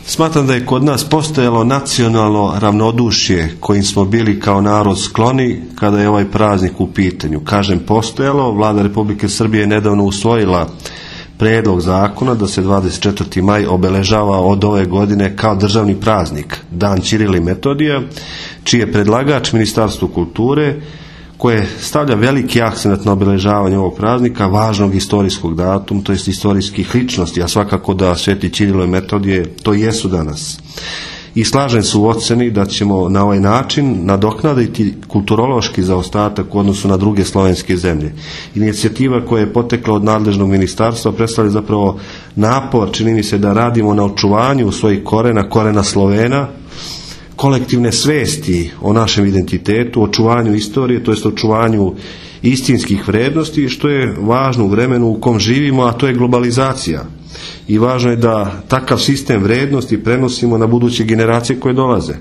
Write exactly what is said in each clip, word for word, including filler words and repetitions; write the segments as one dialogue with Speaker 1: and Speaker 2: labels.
Speaker 1: Smatram da je kod nas postojalo nacionalno ravnodušje kojim smo bili kao narod skloni kada je ovaj praznik u pitanju. Kažem postojalo, Vlada Republike Srbije je nedavno usvojila prijedlog zakona da se dvadeset četvrti maj obeležava od ove godine kao državni praznik, Dan Ćirila i Metodija, čiji je predlagač Ministarstvo kulture, koje stavlja veliki akcent na obeležavanje ovog praznika, važnog istorijskog datuma, to jest istorijskih ličnosti, a svakako da Sveti Ćirilo i Metodije to jesu danas. I slažem se u oceni da ćemo na ovaj način nadoknaditi kulturološki zaostatak u odnosu na druge slovenske zemlje. Inicijativa koja je potekla od nadležnog ministarstva predstavlja zapravo napor, čini mi se, da radimo na očuvanju svojih korena, korena Slovena, kolektivne svesti o našem identitetu, očuvanju istorije, to jest očuvanju istinskih vrednosti, što je važno u vremenu u kom živimo, a to je globalizacija. I važno je da takav sistem vrednosti prenosimo na buduće generacije koje dolaze.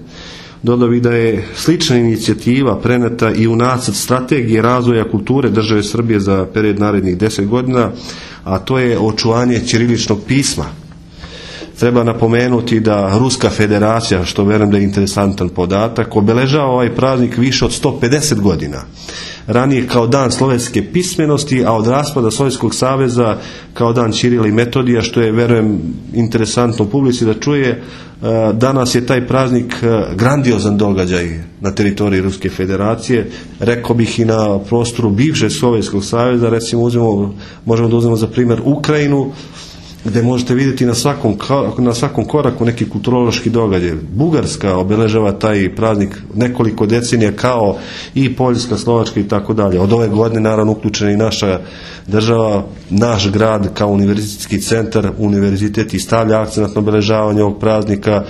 Speaker 1: Dodao bih da je slična inicijativa preneta i u nacrt strategije razvoja kulture države Srbije za period narednih deset godina, a to je očuvanje ćiriličnog pisma. Treba napomenuti da Ruska federacija, što vjerujem da je interesantan podatak, obeležava ovaj praznik više od sto pedeset godina. Ranije kao dan slovenske pismenosti, a od raspada Sovjetskog saveza kao dan Ćirila i Metodija, što je, vjerujem, interesantno publici da čuje. Danas je taj praznik grandiozan događaj na teritoriji Ruske federacije, rekao bih i na prostoru bivšeg Sovjetskog saveza. Recimo uzmemo, možemo da uzmemo za primjer Ukrajinu, gdje možete vidjeti na svakom, na svakom koraku neki kulturološki događaj. Bugarska obeležava taj praznik nekoliko decenija, kao i Poljska, Slovačka i tako dalje. Od ove godine naravno uključena i naša država, naš grad kao univerzitetski centar, univerzitet i stavlja akcent na obeležavanje ovog praznika.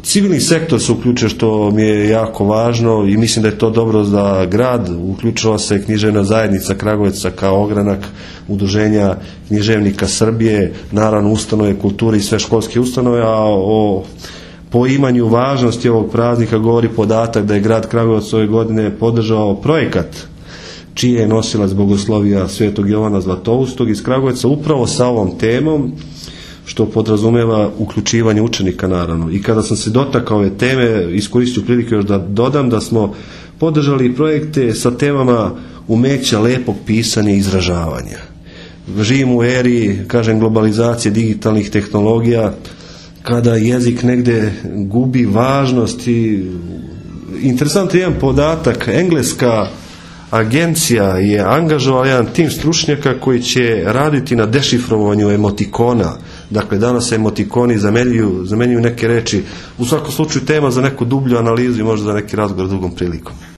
Speaker 1: Civilni sektor se uključuje, što mi je jako važno, i mislim da je to dobro za grad. Uključila se književna zajednica Kragujevaca kao ogranak Udruženja književnika Srbije, naravno ustanove kulture i sve školske ustanove, a o poimanju važnosti ovog praznika govori podatak da je grad Kragujevac ove godine podržao projekat čiji je nosilac bogoslovija Svetog Jovana Zlatoustog iz Kragujevca upravo sa ovom temom, što podrazumijeva uključivanje učenika naravno. I kada sam se dotakao ove teme, iskoristio priliku još da dodam da smo podržali projekte sa temama umeća lepog pisanja i izražavanja. Živimo u eri, kažem, globalizacije digitalnih tehnologija, kada jezik negde gubi važnost. I interesantan jedan podatak, engleska agencija je angažovala jedan tim stručnjaka koji će raditi na dešifrovanju emotikona. Dakle, danas se emotikoni zamenjuju, zamenjuju neke reči. U svakom slučaju tema za neku dublju analizu i možda za neki razgovor drugom prilikom.